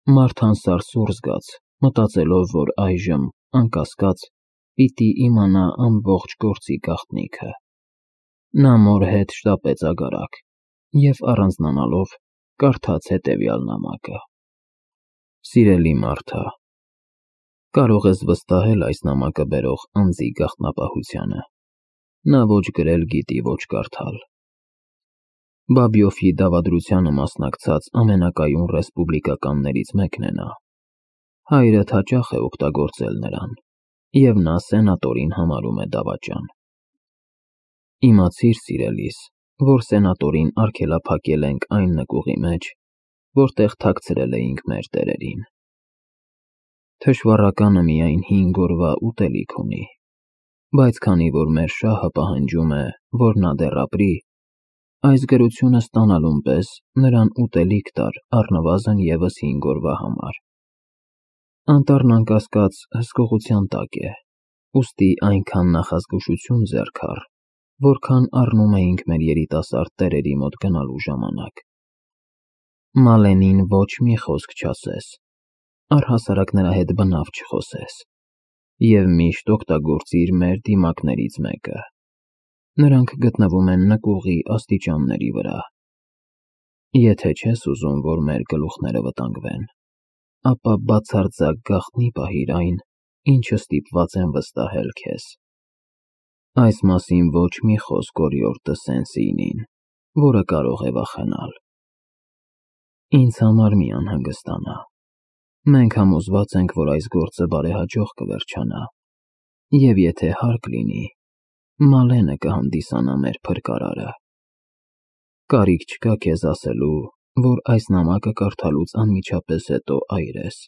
Մարթան սարսուռ զգաց, մտածելով, որ այժմ, անկասկած, պիտի իմանա ամբողջ գործի գաղտնիքը։ Նա մոր հետ շտապեց ագարակ և առանձնանալով կարդաց հետևյալ նամակը. Սիրելի Մարթա, կարող ես վստահել այս նամակը բերող անձի գաղտնապահությանը։ Նա ոչ գրել գիտի, ոչ կարդալ։ Բաբյոֆի դավադրությանը մասնակցած ամենակայուն ռեսպուբլիկականներից մեկն է նա։ Հայրդ հաճախ է օգտագործել նրան, և նա սենատորին համարում է դավաճան։ Իմացիր, սիրելիս, որ սենատորին արգելափակել ենք այն նկուղի մեջ, որտեղ թաքցրել էինք մեր տերերին։ Թշվառականը միայն 5 օրվա ուտելիք ունի, բայց քանի որ մեր շահը պահանջում է, որ նա դեռ ապրի, այս գրությունը ստանալուն պես նրան ուտելիք տար առնվազն ևս 5 օրվա համար։ Անտառն անկասկած հսկողության տակ է, ուստի այնքան նախազգուշություն ձեռք առ, որքան առնում էինք մեր երիտասարդ տերերի մոտ գնալու ժամանակ։ Մալենին ոչ մի խոսք չասես, առհասարակ նրա հետ բնավ չխոսես, և միշտ օգտագործիր մեր դիմակներից մեկը։ Նրանք գտնվում են նկուղի աստիճանների վրա։ Եթե չես ուզում, որ մեր գլուխները վտանգվեն, ապա բացարձակ գաղտնի պահիր այն, ինչը ստիպված եմ վստահել քեզ։ Այս մասին ոչ մի խոսք օրիորդը Սենսինին, որը կարող է վախենալ։ Ինձ համար մի անհանգստանա։ Մենք համոզված ենք, որ այս գործը բարեհաջող կվերջանա, և եթե հարկ լինի, Մալենը կհանդիսանա մեր փրկարարը։ Կարիք չկա քեզ ասելու, որ այս նամակը կարդալուց անմիջապես հետո այր ես,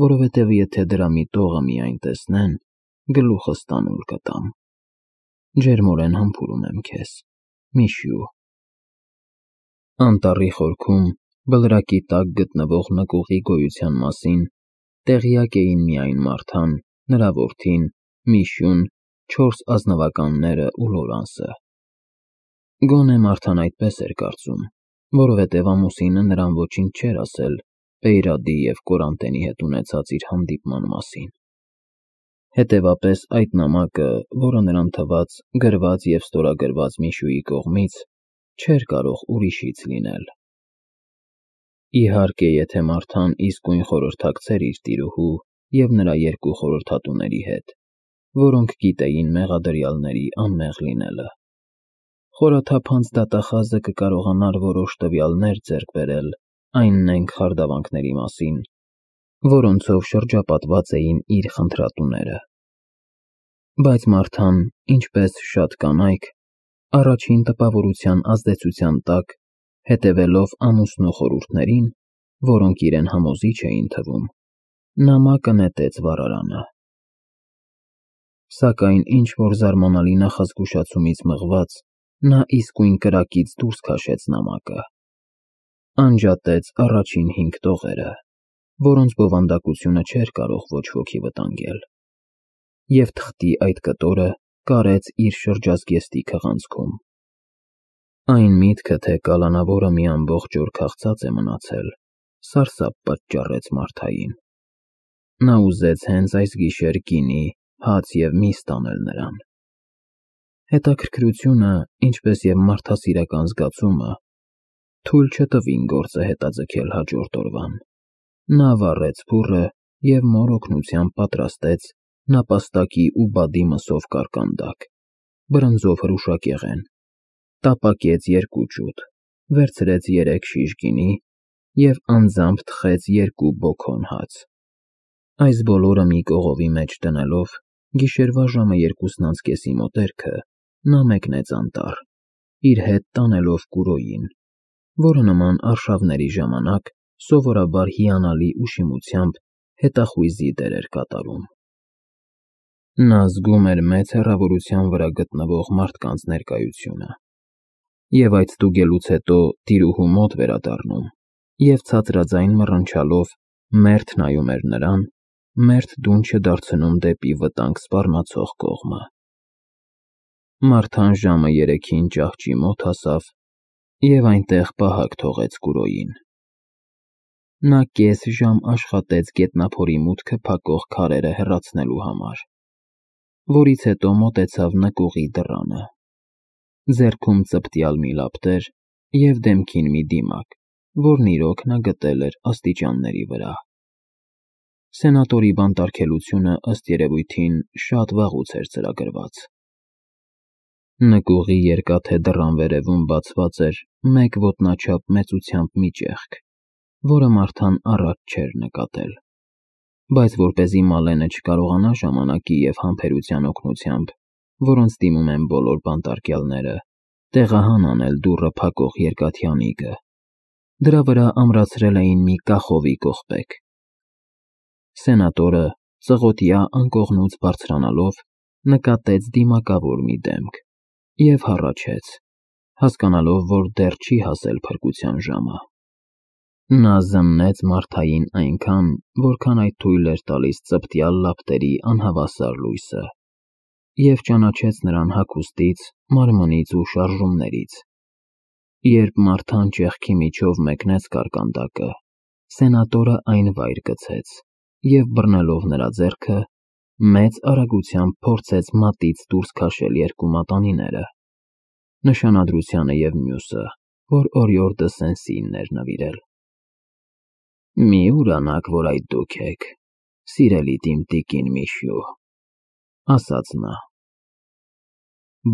որովհետև եթե դրա մի տողը միայն տեսնեն, գլուխս տանուլ կտամ։ Ջերմորեն համբուրում եմ քեզ, Միշյու։ Անտառի խորքում, բլրակի տակ գտնվող նկուղի գոյության մասին տեղյակ էին միայն Մարթան, նրա որդին, Միշյուն, 4 ազնվականները ու Լորանսը։ Գոնե Մարթան այդպես էր կարծում, որովհետև ամուսինը նրան ոչինչ չէր ասել Պեյրադի և Կորանտենի հետ ունեցած իր հանդիպման մասին։ Հետևապես այդ նամակը, որը նրան թվաց գրված և ստորագրված Միշյուի կողմից, չէր կարող ուրիշից լինել։ Իհարկե, եթե Մարթան իսկույն խորհրդակցեր իր տիրուհու և նրա 2 խորհրդատուների հետ, որոնք գիտեին մեղադրյալների անմեղ լինելը։ Խորաթափանց դատախազը կկարողանար որոշ տվյալներ ձեռք բերել այն նենգ խարդավանքների մասին, որոնցով շրջապատված էին իր խնդրատուները։ Բայց Մարթան, ինչպես շատ կանայք, առաջին տպավորության ազդեցության տակ, հետևելով ամուսնու խորհուրդներին, որոնք իրեն համոզիչ էին թվում, նամակը նետեց վառարանը։ Սակայն ինչ-որ զարմանալի նախազգուշացումից մղված, նա իսկույն կրակից դուրս քաշեց նամակը։ Անջատեց առաջին 5 տողերը, որոնց բովանդակությունը չէր կարող ոչ ոքի վտանգել, և թղթի այդ կտորը կարեց իր շրջազգեստի քղանցքում։ Այն միտքը, թե կալանավորը մի ամբողջ օր քաղցած է մնացել, սարսափ պատճառեց Մարթային։ Նա ուզեց հենց այս գիշեր գինի, հաց և միս տանել նրան։ Հետաքրքրությունը, ինչպես և մարդասիրական զգացումը, թույլ չտվին գործը հետաձգել հաջորդ օրվան։ Նա վառեց փուռը և մոր օգնությամբ պատրաստեց նապաստակի ու բադի մսով կարկանդակ, բրնձով հրուշակեղեն, տապակեց 2 ջութ, վերցրեց 3 շիշ գինի և անձամբ թխեց 2 բոքոն հաց։ Այս բոլորը մի կողովի մեջ դնելով, գիշերվա ժամը 2:30-ի մոտերքը նա մեկնեց անտառ, իր հետ տանելով Կուրոյին, որը նման արշավների ժամանակ սովորաբար հիանալի ուշիմությամբ հետախույզի դեր էր կատարում։ Նա զգում էր մեծ հեռավորության վրա գտնվող մարդկանց ներկայությունը, և այդ ստուգելուց հետո տիրուհու մոտ վերադառնում և ցածրաձայն մռնչալով մերթ նայում էր նրան, մերթ դուն չդարձնում դեպի վտանգ սպառնացող կողմը։ Մարթան ժամը 3-ին ճահճի մոտ հասավ և այնտեղ պահակ թողեց Կուրոյին։ Նա կես ժամ աշխատեց գետնափորի մուտքը փակող քարերը հեռացնելու համար, որից հետո մոտեցավ նկուղի դռանը, ձեռքում ծպտյալ մի լապտեր և դեմքին մի դիմակ, որն իրոք նա գտել էր աստիճանների վրա։ Սենատորի բանտարկելությունը ըստ երևույթին շատ վաղուց էր ծրագրված։ Նկուղի երկաթե դռան վերևում բացված էր մեկ ոտնաչափ մեծությամբ մի ճեղք, որը Մարթան առաջ չէր նկատել, բայց որպեսզի Մալենը չկարողանա ժամանակի և համբերության օգնությամբ, որոնց դիմում են բոլոր բանտարկյալները, տեղահան անել դուռը փակող երկաթյանիկը, դրա վրա ամրացրել էին մի կախովի կողպեկ։ Սենատորը, ծղոտյա անկողնուց բարձրանալով, նկատեց դիմակավոր մի դեմք և հառաչեց, հասկանալով, որ դեռ չի հասել փրկության ժամը։ Նա զննեց Մարթային այնքան, որքան այդ թույլ էր տալիս ծպտյալ լապտերի անհավասար լույսը, և ճանաչեց նրան հագուստից, մարմնից ու շարժումներից։ Երբ Մարթան ճեղքի միջով մեկնեց կարկանդակը, սենատորը այն վայր գցեց և բռնելով նրա ձեռքը, մեծ արագությամբ փորձեց մատից դուրս քաշել երկու մատանիները, նշանադրությանը և մյուսը, որ օրիորդը Սեն-Սինն էր նվիրել։ «Մի ուրանաք, որ այդ դուք եք, սիրելիդ իմ տիկին Միշյու», ասաց նա։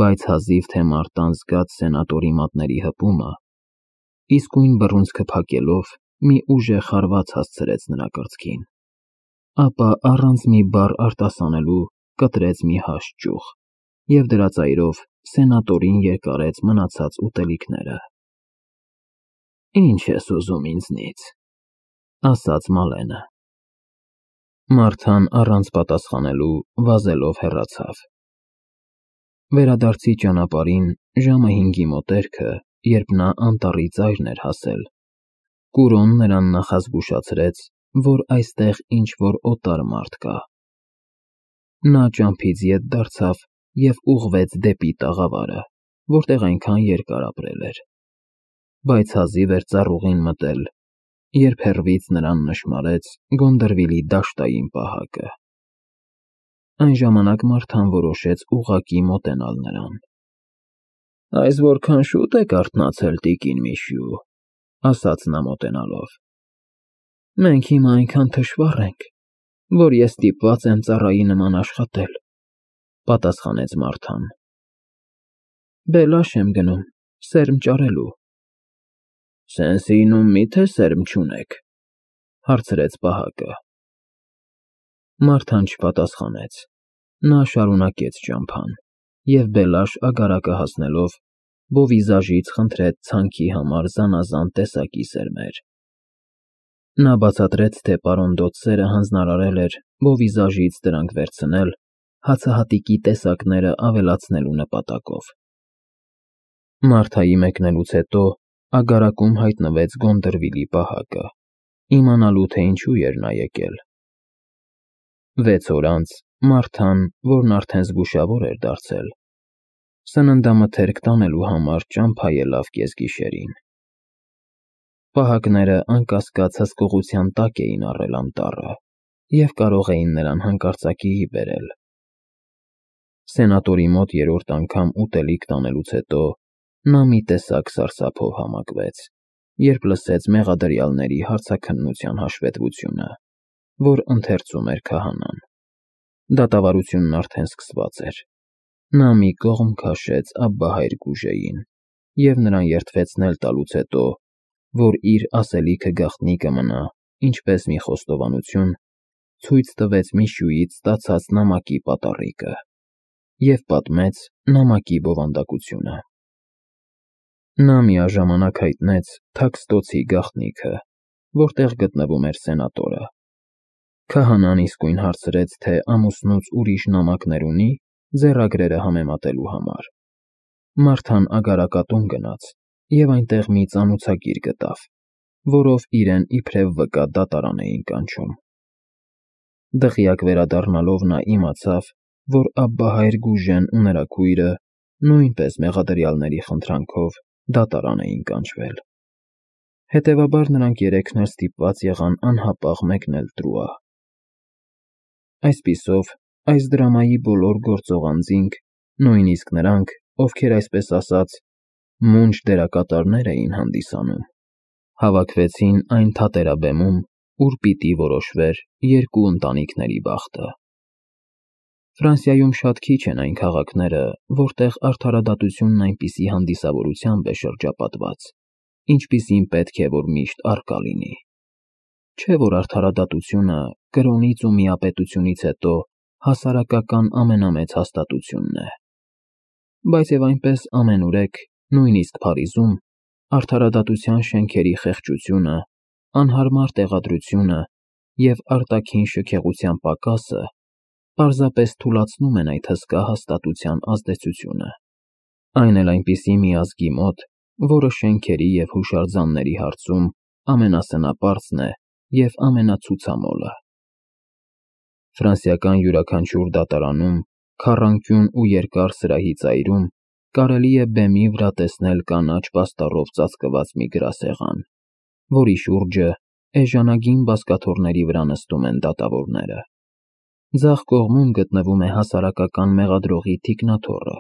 Բայց հազիվ թե Մարտան զգաց սենատորի մատների հպումը, իսկույն բռունցքը փակելով մի ուժեղ հարված հասցրեց նրա կրծքին, ապա առանց մի բառ արտասանելու կտրեց մի հաստ ճյուղ և դրա ծայրով սենատորին երկարեց մնացած ուտելիքները։ «Ինչ ես ուզում ինձնից», ասաց Մալենը։ Մարթան առանց պատասխանելու վազելով հեռացավ։ Վերադարձի ճանապարհին ժամը 5-ի մոտերքը, երբ նա անտառի ծայրն էր հասել, Կուրոն նրան նախազգուշացրեց, որ այստեղ ինչ-որ օտար մարդ կա։ Նա ճամփից ետ դարձավ և ուղղվեց դեպի տաղավարը, որտեղ այնքան երկար ապրել էր, բայց հազիվ էր ծառուղին մտել, երբ հեռվից նրան նշմարեց Գոնդրվիլի դաշտային պահակը։ Այն ժամանակ Մարթան որոշեց ուղղակի մոտենալ նրան։ «Այս որքան շուտ եք արթնացել, տիկին Միշյու», ասաց նա մոտենալով։ «Մենք հիմա այնքան թշվառ ենք, որ ես ստիպված եմ ծառայի նման աշխատել», պատասխանեց Մարթան։ «Բելաշ եմ գնում, սերմ ճարելու»։ «Սեն-Սինում մի՞թե սերմ չունեք», հարցրեց պահակը։ Մարթան չպատասխանեց։ Նա շարունակեց ճամփան և Բելաշ ագարակը հասնելով, բովիզաժից խնդրեց ցանքի համար զանազան տեսակի սերմեր։ Նա բացատրեց, թե պարոն Դոդսերը հանձնարարել էր բովիզաժից դրանք վերցնել հացահատիկի տեսակները ավելացնելու նպատակով։ Մարթայի մեկնելուց հետո ագարակում հայտնվեց Գոնդրվիլի պահակը, իմանալու, թե ինչու էր նա եկել։ 6 օր անց Մարթան, որն արդեն զգուշավոր էր դարձել, սննդամթերք տանելու համար ճամփա ելավ կեսգիշերին։ Պահակները անկասկած հսկողության տակ էին առել անտառը և կարող էին նրան հանկարծակիի բերել։ Սենատորի մոտ երրորդ անգամ ուտելիք տանելուց հետո նա մի տեսակ սարսափով համակվեց, երբ լսեց մեղադրյալների հարցաքննության հաշվետվությունը, որ ընթերցում էր քահանան։ Դատավարությունն արդեն սկսված էր։ Նա մի կողմ քաշեց Աբբահայր Գուժեին և նրան երդվեցնել տալուց հետո, որ իր ասելիքը գաղտնի կմնա, ինչպես մի խոստովանություն, ցույց տվեց Միշյուից ստացած նամակի պատառիկը և պատմեց նամակի բովանդակությունը։ Նա միաժամանակ հայտնեց Թաքստոցի գաղտնիքը, որտեղ գտնվում էր սենատորը։ Քահանան իսկույն հարցրեց, թե ամուսնուց ուրիշ նամակներ ունի՝ ձեռագրերը համեմատելու համար։ Մարթան ագարակատուն գնաց և այնտեղ մի ծանոցագիր գտավ, որով իրեն իբրև վկա դատարան էին կանչում։ Դղյակ վերադառնալով նա իմացավ, որ Աբբահայր Գուժեն ու նրա քույրը նույնպես մեղադրյալների խնդրանքով դատարան էին կանչվել։ Հետևաբար նրանք երեքն էլ ստիպված եղան անհապաղ մեկնել Տրուա։ Այսպիսով, այս դրամայի բոլոր գործող անձինք, նույնիսկ նրանք, ովքեր այսպես ասած մունջ դերակատարներ էին հանդիսանում, հավաքվեցին այն թատերաբեմում, ուր պիտի որոշվեր երկու ընտանիքների բախտը։ Ֆրանսիայում շատ քիչ են այն քաղաքները, որտեղ արդարադատությունն այնպիսի հանդիսավորությամբ է շրջապատված, ինչպիսին պետք է, որ միշտ առկա լինի։ Չէ՞ որ արդարադատությունը կրոնից ու միապետությունից հետո հասարակական ամենամեծ հաստատությունն է։ Բայց եւ այնպես ամենուրեք, նույնիսկ Փարիզում, արդարադատության շենքերի խեղճությունը, անհարմար տեղադրությունը եւ արտաքին շքեղության պակասը պարզապես թուլացնում են այդ հսկա հաստատության ազդեցությունը։ Այն էլ այնպիսի մի ազգի մոտ, որը շենքերի եւ հուշարձանների հարցում ամենասնապարծն է եւ ամենացուցամոլը։ Ֆրանսիական յուրաքանչյուր դատարանում, քառանկյուն ու երկար սրահի ծայրում կարելի է բեմի վրա տեսնել կանաչ պաստառով ծածկված մի գրասեղան, որի շուրջը էժանագին բազկաթոռների վրա նստում են դատավորները։ Ձախ կողմում գտնվում է հասարակական մեղադրողի թիկնաթոռը,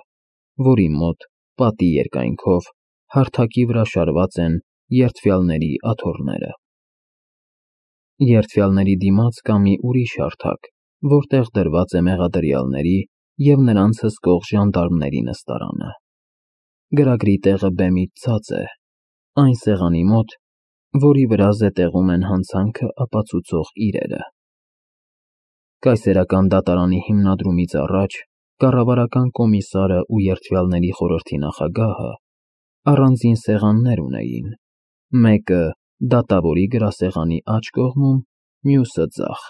որի մոտ, պատի երկայնքով, հարթակի վրա շարված են երդվյալների աթոռները։ Երդվյալների դիմաց կա մի ուրիշ հարթակ, որտեղ դրված է մեղադրյալների և նրանց հսկող ժանդարմների նստարանը։ Գրագրի տեղը բեմից ցած է, այն սեղանի մոտ, որի վրա զետեղում են հանցանքը ապացուցող իրերը։ Կայսերական դատարանի հիմնադրումից առաջ կառավարական կոմիսարը ու երդվյալների խորհրդի նախագահը առանձին սեղաններ ունեին, մեկը դատավորի գրասեղանի աջ կողմում, մյուսը ձախ։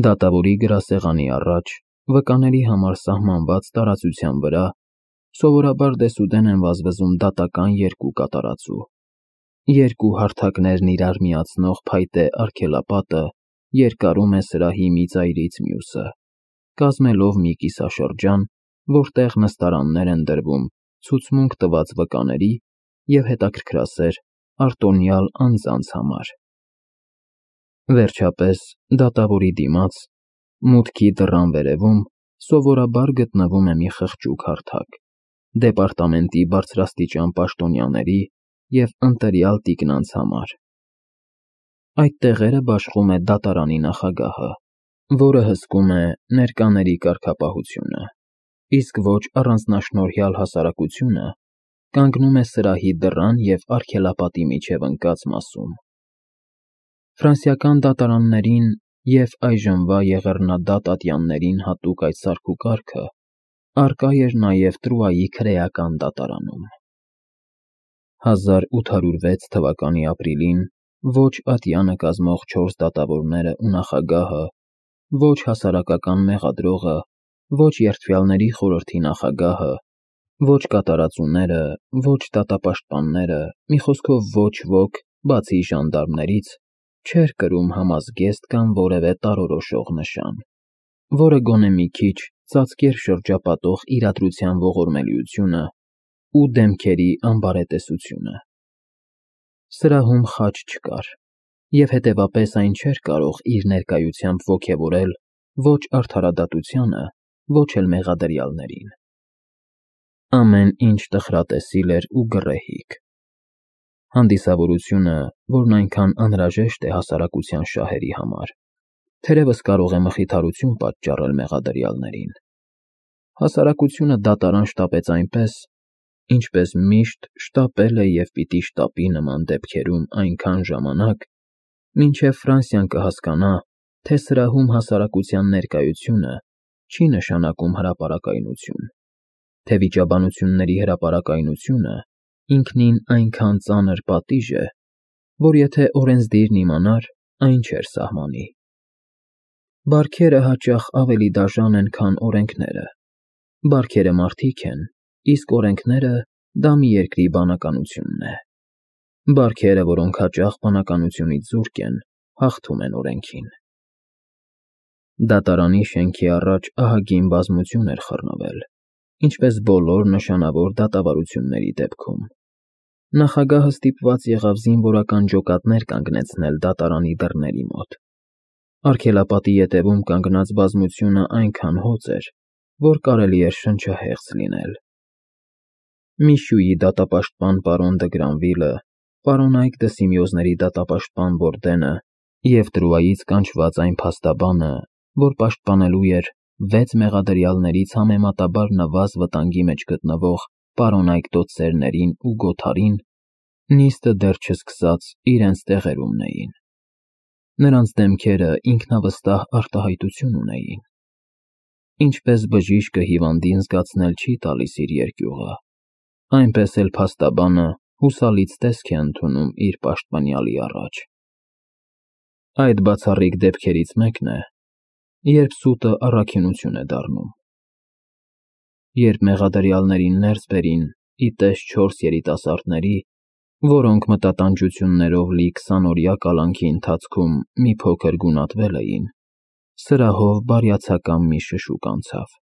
Դատավորի գրասեղանի առաջ, վկաների համար սահմանված տարածության վրա, սովորաբար դեսուդեն են վազվզում դատական երկու կատարածու։ Երկու հարթակներն իրար միացնող փայտե արգելապատը երկարում է սրահի մի ծայրից մյուսը, կազմելով մի կիսաշրջան, որտեղ նստարաններ են դրվում ցուցմունք տված վկաների և հետաքրքրասեր արտոնյալ անձանց համար։ Վերջապես, դատավորի դիմաց, մուտքի դռան վերևում, սովորաբար գտնվում է մի խղճուկ հարթակ, դեպարտամենտի բարձրաստիճան պաշտոնյաների և ընտրյալ տիկնանց համար։ Այդ տեղերը բաշխում է դատարանի նախագահը, որը հսկում է ներկաների կարգապահությունը, իսկ ոչ առանձնաշնորհյալ հասարակությունը կանգնում է սրահի դռան և արգելապատի միջև ընկած մասում։ Ֆրանսիական դատարաններին և այժմվա եղեռնադատ ատյաններին հատուկ այդ սարքուկարգը առկա էր նաև Տրուայի քրեական դատարանում։ 1806 թվականի ապրիլին ոչ ատյանը կազմող 4 դատավորները ու նախագահը, ոչ հասարակական մեղադրողը, ոչ երդվյալների խորհրդի նախագահը, ոչ կատարածուները, ոչ դատապաշտպանները, մի խոսքով ոչ ոք, բացի ժանդարմներից, չէր կրում համազգեստ կամ որևէ տարորոշող նշան, որը գոնե մի քիչ ծածկեր շրջապատող իրադրության ողորմելիությունը ու դեմքերի անբարետեսությունը։ Սրահում խաչ չկար, և հետևապես այն չէր կարող իր ներկայությամբ ոգևորել ոչ արդարադատությանը, ոչ էլ մեղադրյալներին։ Ամեն ինչ տխրատեսիլ էր ու գռեհիկ։ Հանդիսավորությունը, որն այնքան անհրաժեշտ է հասարակության շահերի համար, թերևս կարող է մխիթարություն պատճառել մեղադրյալներին։ Հասարակությունը դատարան շտապեց այնպես, ինչպես միշտ շտապել է և պիտի շտապի նման դեպքերում այնքան ժամանակ, մինչև Ֆրանսիան կհասկանա, թե սրահում հասարակության ներկայությունը չի նշանակում հրապարակայնություն, թե վիճաբանությունների հրապարակայնությունը ինքնին այնքան ծանր պատիժ է, որ եթե օրենսդիրն իմանար, այն չէր սահմանի։ Բարքերը հաճախ ավելի դաժան են, քան օրենքները։ Բարքերը մարդիկ են, իսկ օրենքները դա մի երկրի բանականությունն է։ Բարքերը, որոնք հաճախ բանականությունից զուրկ են, հաղթում են օրենքին։ Դատարանի շենքի առաջ ահագին բազմություն էր խռնվել, ինչպես բոլոր նշանավոր դատավարությունների դեպքում։ Նախագահը ստիպված եղավ զինվորական ջոկատներ կանգնեցնել դատարանի դռների մոտ։ Արգելապատի ետևում կանգնած բազմությունը այնքան հոծ էր, որ կարելի էր շնչահեղձ լինել։ Միշուի դատապաշտպան պարոն դը Գրանվիլը, պարոն Այկ դը Սիմեոզների դատապաշտպան Բորդենը և Տրուայից կանչված այն փաստաբանը, որ պաշտպանելու էր 6 մեղադրյալներից համեմատաբար նվազ վտանգի մեջ գտնվող պարոն Այկ դոցերներին ու Գոթարին, նիստը դեռ չսկսած իրենց տեղերումն էին։ Նրանց դեմքերը ինքնավստահ արտահայտություն ունեին։ Ինչպես բժիշկը հիվանդին զգացնել չի տալիս իր երկյուղը, այնպես էլ փաստաբանը հուսալից տեսք է ընդունում իր պաշտպանյալի առաջ։ Այդ բացառիկ դեպքերից մեկն է, երբ սուտը առաքինություն է դառնում։ Երբ մեղադրյալներին ներս բերին ի տես 4 երիտասարդների, որոնք մտատանջություններով լի 20-օրյա կալանքի ընթացքում մի փոքր գունատվել էին, սրահով բարյացակամ մի շշուկ անցավ։